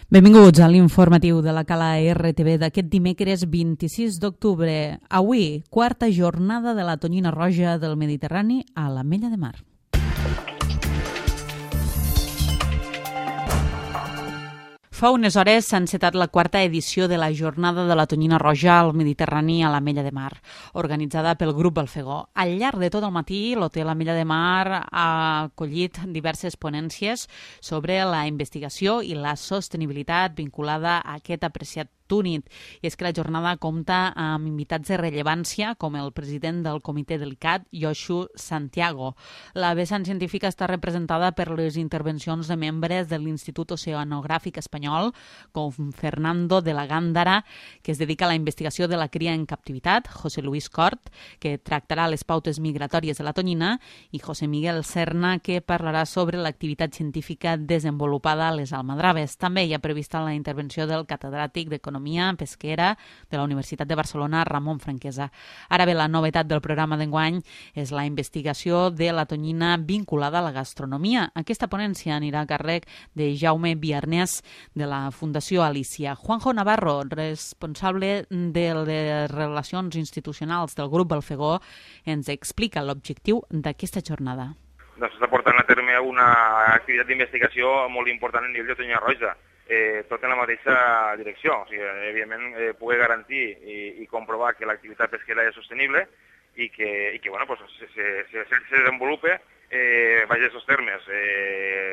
Benvinguts a l'informatiu de la Cala RTV d'aquest dimecres 26 d'octubre. Avui, quarta jornada de la tonyina roja del Mediterrani a l'Ametlla de Mar. Fa unes hores s'ha encetat la quarta edició de la Jornada de la Tonyina Roja al Mediterrani a l'Ametlla de Mar, organitzada pel Grup Balfegó. Al llarg de tot el matí, l'Hotel Ametlla de Mar ha acollit diverses ponències sobre la investigació i la sostenibilitat vinculada a aquest apreciat túnid. I és que la jornada compta amb invitats de rellevància com el president del Comitè del ICCAT, Josu Santiago. La vessant científica està representada per les intervencions de membres de l'Institut Oceanogràfic Espanyol, com Fernando de la Gándara, que es dedica a la investigació de la cria en captivitat, José Luis Cort, que tractarà les pautes migratòries de la tonyina, i José Miguel Serna, que parlarà sobre l'activitat científica desenvolupada a les almadraves. També hi ha prevista la intervenció del catedràtic d'Economia Pesquera de la Universitat de Barcelona, Ramon Franquesa. Ara bé, la novetat del programa d'enguany és la investigació de la tonyina vinculada a la gastronomia. Aquesta ponència anirà a càrrec de Jaume Biarnés, de la Fundació Alicia. Juanjo Navarro, responsable de les relacions institucionals del Grup Balfegó, ens explica l'objectiu d'aquesta jornada. S'està portant a terme una activitat d'investigació molt important a nivell de tonyina roja. Tot en la mateixa direcció. O sigui, evidentment, poder garantir i comprovar que l'activitat pesquera és sostenible i que bueno, pues, se desenvolupe baix aquests termes.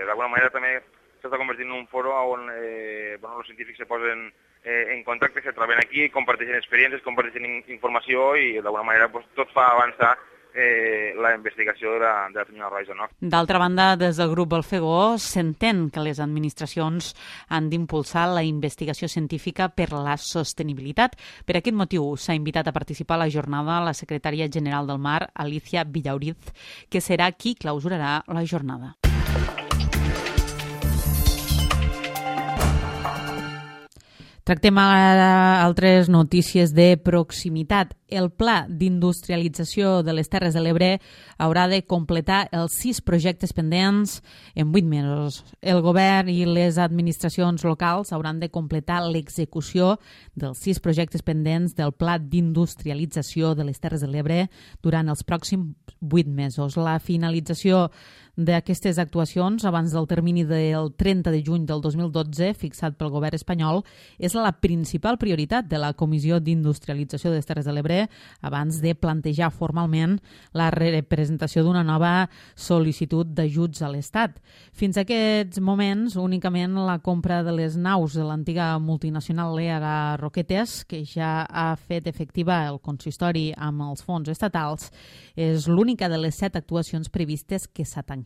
D'alguna manera també s'està convertint en un foro on els científics se posen en contacte, se troben aquí, comparteixen experiències, comparteixen informació i d'alguna manera pues, tot fa avançar la investigació de la tonyina roja. No? D'altra banda, des del Grup Balfegó s'entén que les administracions han d'impulsar la investigació científica per la sostenibilitat. Per aquest motiu s'ha invitat a participar a la jornada la secretària general del Mar, Alicia Villauriz, que serà qui clausurarà la jornada. Tractem ara altres notícies de proximitat. El Pla d'Industrialització de les Terres de l'Ebre haurà de completar els 6 projectes pendents en 8 mesos. El govern i les administracions locals hauran de completar l'execució dels 6 projectes pendents del Pla d'Industrialització de les Terres de l'Ebre durant els pròxims 8 mesos. La finalització d'aquestes actuacions abans del termini del 30 de juny del 2012 fixat pel govern espanyol és la principal prioritat de la Comissió d'Industrialització de les Terres de l'Ebre abans de plantejar formalment la representació d'una nova sol·licitud d'ajuts a l'Estat. Fins a aquests moments, únicament la compra de les naus de l'antiga multinacional Leaga Roquetes, que ja ha fet efectiva el consistori amb els fons estatals, és l'única de les 7 actuacions previstes que s'ha tancat.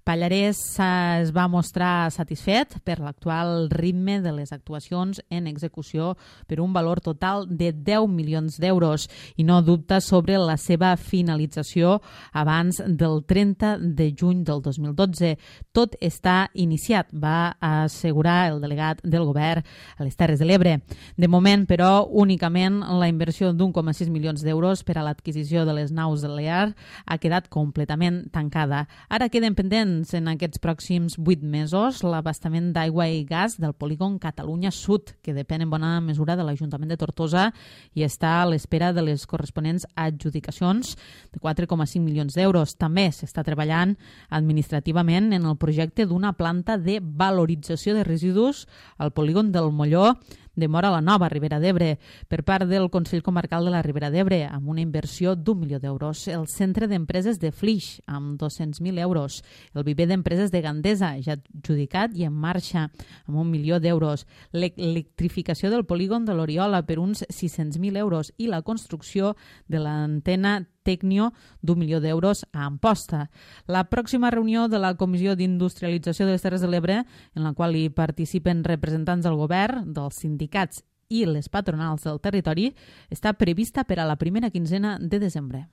Pallarès es va mostrar satisfet per l'actual ritme de les actuacions en execució per un valor total de 10 milions d'euros i no dubta sobre la seva finalització abans del 30 de juny del 2012. Tot està iniciat, va assegurar el delegat del govern a les Terres de l'Ebre. De moment, però, únicament la inversió d'1,6 milions d'euros per a l'adquisició de les naus de l'EAR ha quedat completament tancada. Ara queden pendents en aquests pròxims 8 mesos l'abastament d'aigua i gas del polígon Catalunya Sud, que depèn en bona mesura de l'Ajuntament de Tortosa i està a l'espera de les corresponents adjudicacions de 4,5 milions d'euros. També s'està treballant administrativament en el projecte d'una planta de valorització de residus al polígon del Molló de Móra la Nova, Ribera d'Ebre, per part del Consell Comarcal de la Ribera d'Ebre, amb una inversió d'1 milió d'euros. El Centre d'Empreses de Flix, amb 200.000 euros. El Viver d'Empreses de Gandesa, ja adjudicat i en marxa, amb 1 milió d'euros. L'electrificació del polígon de l'Oriola per uns 600.000 euros i la construcció de l'antena Tecnio d'1 milió d'euros a Amposta. La pròxima reunió de la Comissió d'Industrialització de les Terres de l'Ebre, en la qual hi participen representants del govern, dels sindicats i les patronals del territori, està prevista per a la primera quinzena de desembre.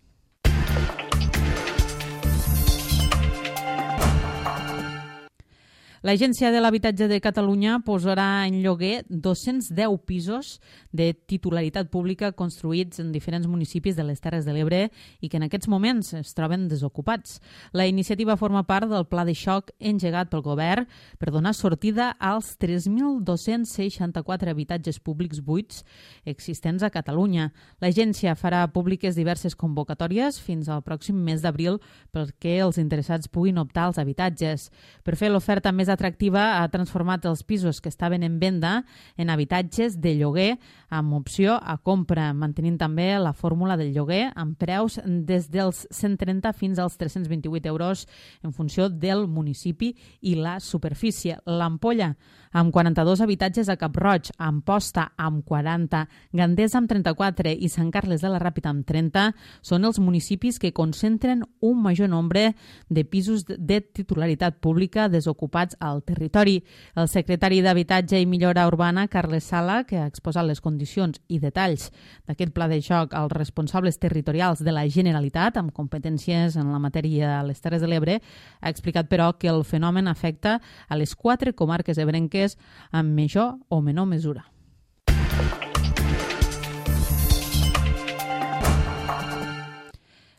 L'Agència de l'Habitatge de Catalunya posarà en lloguer 210 pisos de titularitat pública construïts en diferents municipis de les Terres de l'Ebre i que en aquests moments es troben desocupats. La iniciativa forma part del pla de xoc engegat pel govern per donar sortida als 3.264 habitatges públics buits existents a Catalunya. L'agència farà públiques diverses convocatòries fins al pròxim mes d'abril perquè els interessats puguin optar als habitatges. Per fer l'oferta més atractiva, ha transformat els pisos que estaven en venda en habitatges de lloguer amb opció a compra, mantenint també la fórmula del lloguer amb preus des dels 130 fins als 328 euros en funció del municipi i la superfície. L'Ampolla, amb 42 habitatges a Cap-roig, Amposta amb 40, Gandesa amb 34 i Sant Carles de la Ràpita amb 30, són els municipis que concentren un major nombre de pisos de titularitat pública desocupats al territori. El secretari d'Habitatge i Millora Urbana, Carles Sala, que ha exposat les condicions i detalls d'aquest pla de xoc als responsables territorials de la Generalitat amb competències en la matèria a les Terres de l'Ebre, ha explicat, però, que el fenomen afecta a les 4 comarques ebrenques en major o menor mesura.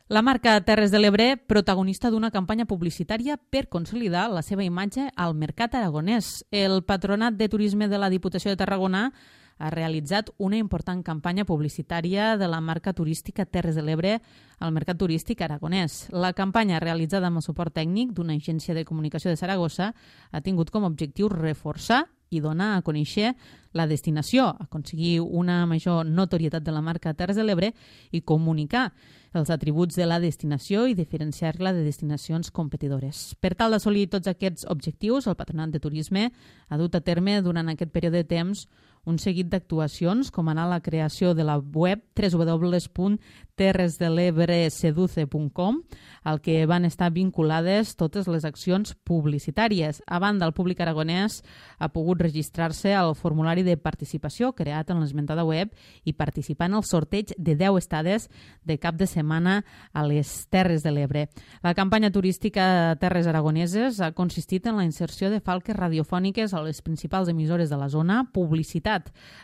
La marca Terres de l'Ebre, protagonista d'una campanya publicitària per consolidar la seva imatge al mercat aragonès. El Patronat de Turisme de la Diputació de Tarragona ha realitzat una important campanya publicitària de la marca turística Terres de l'Ebre al mercat turístic aragonès. La campanya, realitzada amb el suport tècnic d'una agència de comunicació de Saragossa, ha tingut com a objectiu reforçar i donar a conèixer la destinació, aconseguir una major notorietat de la marca Terres de l'Ebre i comunicar els atributs de la destinació i diferenciar-la de destinacions competidores. Per tal d'assolir tots aquests objectius, el Patronat de Turisme ha dut a terme durant aquest període de temps un seguit d'actuacions, com anar a la creació de la web www.terresdelebreseduce.com, al que van estar vinculades totes les accions publicitàries. A banda, el públic aragonès ha pogut registrar-se al formulari de participació creat en l'esmentada web i participar en el sorteig de 10 estades de cap de setmana a les Terres de l'Ebre. La campanya turística a Terres Aragoneses ha consistit en la inserció de falques radiofòniques a les principals emissores de la zona, publicitat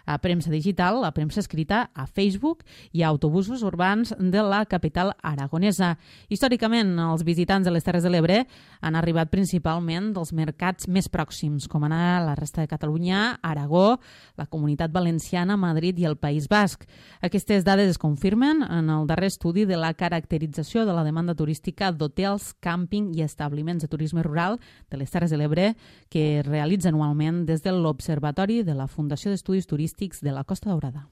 a premsa digital, a premsa escrita, a Facebook i a autobusos urbans de la capital aragonesa. Històricament, els visitants de les Terres de l'Ebre han arribat principalment dels mercats més pròxims, com anar a la resta de Catalunya, Aragó, la Comunitat Valenciana, Madrid i el País Basc. Aquestes dades es confirmen en el darrer estudi de la caracterització de la demanda turística d'hotels, càmping i establiments de turisme rural de les Terres de l'Ebre que es realitza anualment des de l'Observatori de la Fundació d'Estudis Turístics de la Costa Daurada.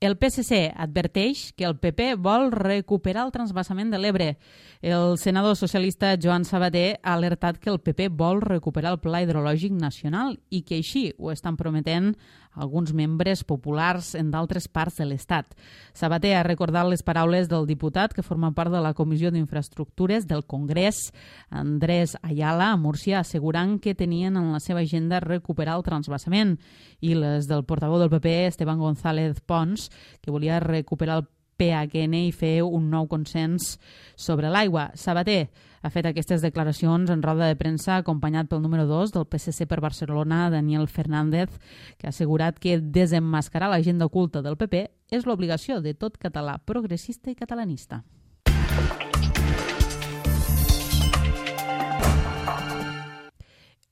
El PSC adverteix que el PP vol recuperar el transvasament de l'Ebre. El senador socialista Joan Sabaté ha alertat que el PP vol recuperar el Pla Hidrològic Nacional i que així ho estan prometent alguns membres populars en d'altres parts de l'Estat. Sabaté ha recordat les paraules del diputat que forma part de la Comissió d'Infraestructures del Congrés, Andrés Ayala, a Múrcia, assegurant que tenien en la seva agenda recuperar el transvasament, i les del portaveu del PP, Esteban González Pons, que volia recuperar el PHN i fer un nou consens sobre l'aigua. Sabaté ha fet aquestes declaracions en roda de premsa acompanyat pel número 2 del PSC per Barcelona, Daniel Fernández, que ha assegurat que desemmascarar l'agenda oculta del PP és l'obligació de tot català progressista i catalanista.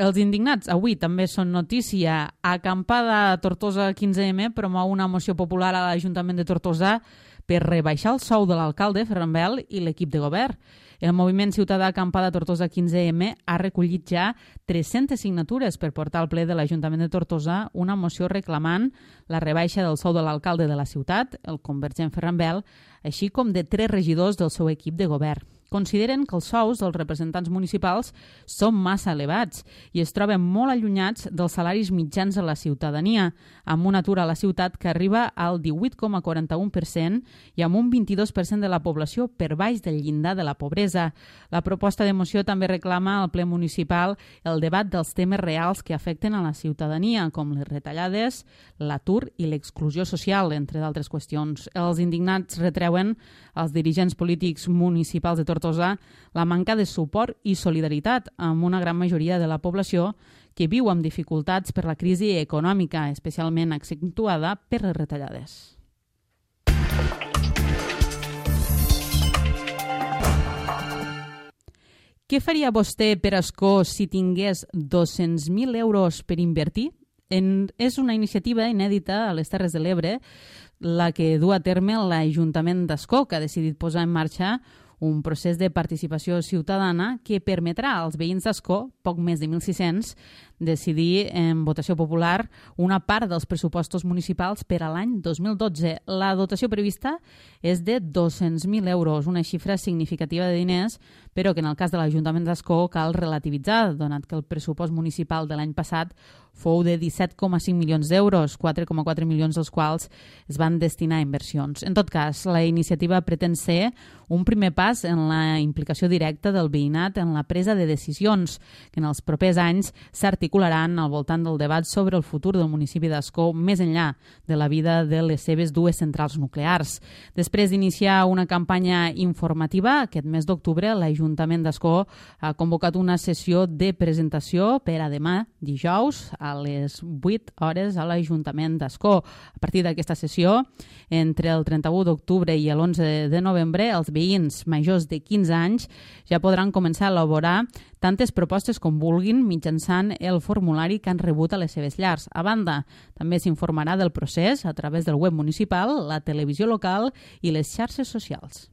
Els indignats avui també són notícia. Acampada a Tortosa 15M promou una moció popular a l'Ajuntament de Tortosa per rebaixar el sou de l'alcalde Ferran Bel i l'equip de govern. El moviment ciutadà Acampada Tortosa 15M ha recollit ja 300 signatures per portar al ple de l'Ajuntament de Tortosa una moció reclamant la rebaixa del sou de l'alcalde de la ciutat, el convergent Ferran Bel, així com de 3 regidors del seu equip de govern. Consideren que els sous dels representants municipals són massa elevats i es troben molt allunyats dels salaris mitjans de la ciutadania, amb un atur a la ciutat que arriba al 18,41% i amb un 22% de la població per baix del llindar de la pobresa. La proposta de moció també reclama al ple municipal el debat dels temes reals que afecten a la ciutadania, com les retallades, l'atur i l'exclusió social, entre d'altres qüestions. Els indignats retreuen als dirigents polítics municipals de Tortosa Tortosa la manca de suport i solidaritat amb una gran majoria de la població que viu amb dificultats per la crisi econòmica, especialment accentuada per les retallades. Què faria vostè per Ascó si tingués 200.000 euros per invertir? És una iniciativa inèdita a les Terres de l'Ebre la que du a terme l'Ajuntament d'Ascó, que ha decidit posar en marxa un procés de participació ciutadana que permetrà als veïns d'Ascó, poc més de 1.600, decidir en votació popular una part dels pressupostos municipals per a l'any 2012. La dotació prevista és de 200.000 euros, una xifra significativa de diners, però que en el cas de l'Ajuntament d'Ascó cal relativitzar, donat que el pressupost municipal de l'any passat fou de 17,5 milions d'euros, 4,4 milions dels quals es van destinar a inversions. En tot cas, la iniciativa pretén ser un primer pas en la implicació directa del veïnat en la presa de decisions, que en els propers anys s'articularan al voltant del debat sobre el futur del municipi d'Ascó més enllà de la vida de les seves dues centrals nuclears. Després d'iniciar una campanya informativa, aquest mes d'octubre l'Ajuntament d'Ascó ha convocat una sessió de presentació per a demà, dijous, a les 8 hores a l'Ajuntament d'Ascó. A partir d'aquesta sessió, entre el 31 d'octubre i l'11 de novembre, els veïns majors de 15 anys ja podran començar a elaborar tantes propostes com vulguin mitjançant el formulari que han rebut a les seves llars. A banda, també s'informarà del procés a través del web municipal, la televisió local i les xarxes socials.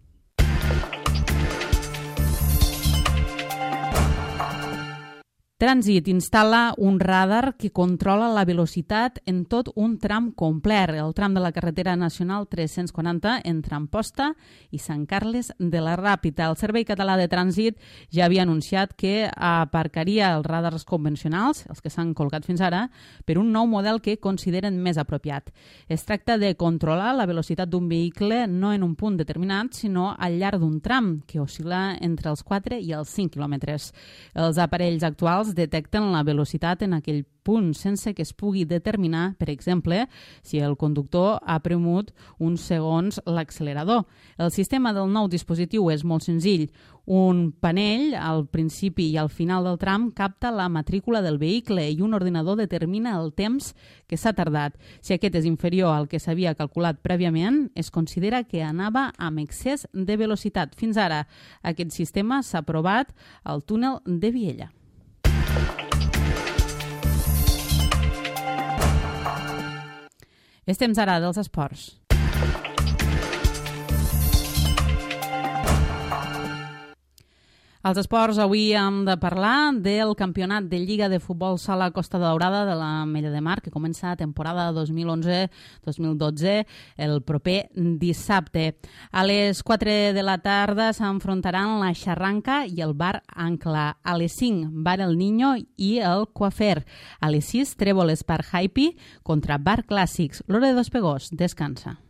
Trànsit instal·la un radar que controla la velocitat en tot un tram complet, el tram de la carretera nacional 340 entre Amposta i Sant Carles de la Ràpita. El Servei Català de Trànsit ja havia anunciat que aparcaria els radars convencionals, els que s'han col·locat fins ara, per un nou model que consideren més apropiat. Es tracta de controlar la velocitat d'un vehicle no en un punt determinat, sinó al llarg d'un tram, que oscil·la entre els 4 i els 5 quilòmetres. Els aparells actuals detecten la velocitat en aquell punt sense que es pugui determinar, per exemple, si el conductor ha premut uns segons l'accelerador. El sistema del nou dispositiu és molt senzill. Un panell al principi i al final del tram capta la matrícula del vehicle i un ordinador determina el temps que s'ha tardat. Si aquest és inferior al que s'havia calculat prèviament, es considera que anava amb excés de velocitat. Fins ara, aquest sistema s'ha provat al túnel de Viella. És temps ara dels esports. Als esports avui hem de parlar del campionat de Lliga de Futbol Sala Costa Daurada de l'Ametlla de Mar, que comença la temporada 2011-2012 el proper dissabte. A les 4 de la tarda s'enfrontaran la Xarranca i el Bar Ancla. A les 5, Bar El Niño i el Coafer. A les 6, Trèvoles per Hype contra Bar Clàssics. L'Hora de Dos Pegós descansa.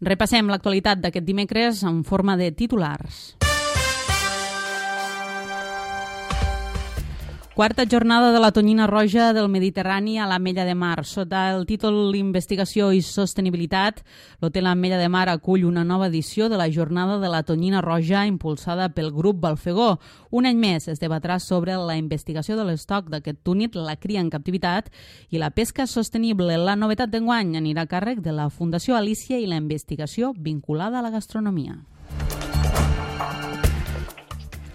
Repassem l'actualitat d'aquest dimecres en forma de titulars. Quarta jornada de la tonyina roja del Mediterrani a l'Ametlla de Mar. Sota el títol Investigació i Sostenibilitat, l'Hotel Ametlla de Mar acull una nova edició de la jornada de la tonyina roja impulsada pel grup Balfegó. Un any més es debatrà sobre la investigació de l'estoc d'aquest túnid, la cria en captivitat i la pesca sostenible. La novetat d'enguany anirà a càrrec de la Fundació Alícia i la investigació vinculada a la gastronomia.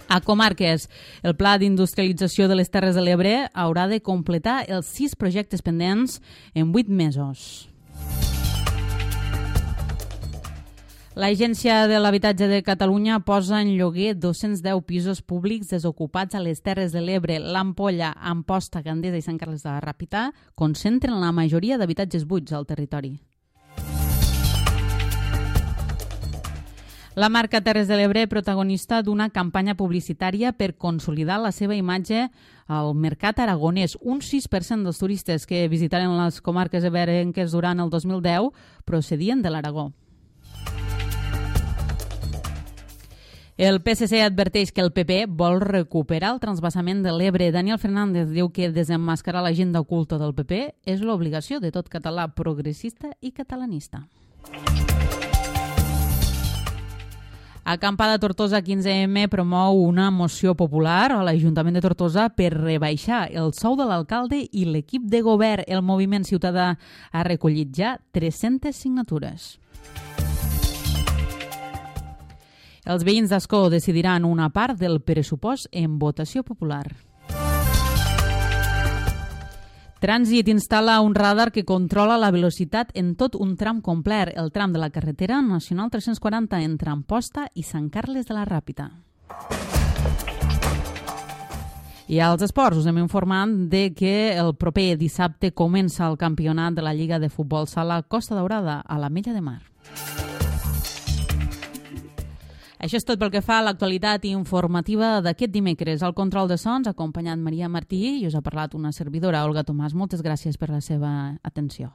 A Comarques, el Pla d'Industrialització de les Terres de l'Ebre haurà de completar els 6 projectes pendents en 8 mesos. L'Agència de l'Habitatge de Catalunya posa en lloguer 210 pisos públics desocupats a les Terres de l'Ebre. L'Ampolla, Amposta, Gandesa i Sant Carles de la Ràpita concentren la majoria d'habitatges buits al territori. La marca Terres de l'Ebre, protagonista d'una campanya publicitària per consolidar la seva imatge al mercat aragonès. Un 6% dels turistes que visitaren les comarques ebrenques durant el 2010 procedien de l'Aragó. El PSC adverteix que el PP vol recuperar el transvasament de l'Ebre. Daniel Fernández diu que desemmascarar l'agenda oculta del PP és l'obligació de tot català progressista i catalanista. Acampada Tortosa 15M promou una moció popular a l'Ajuntament de Tortosa per rebaixar el sou de l'alcalde i l'equip de govern. El moviment ciutadà ha recollit ja 300 signatures. Els veïns d'Ascó decidiran una part del pressupost en votació popular. Trànsit instal·la un radar que controla la velocitat en tot un tram complet, el tram de la carretera nacional 340 entre Amposta i Sant Carles de la Ràpita. I als esports us hem informat de que el proper dissabte comença el campionat de la Lliga de Futbol Sala Costa Daurada a l'Ametlla de Mar. Això és tot pel que fa a l'actualitat informativa d'aquest dimecres. Al control de sons ha acompanyat Maria Martí i us ha parlat una servidora, Olga Tomàs. Moltes gràcies per la seva atenció.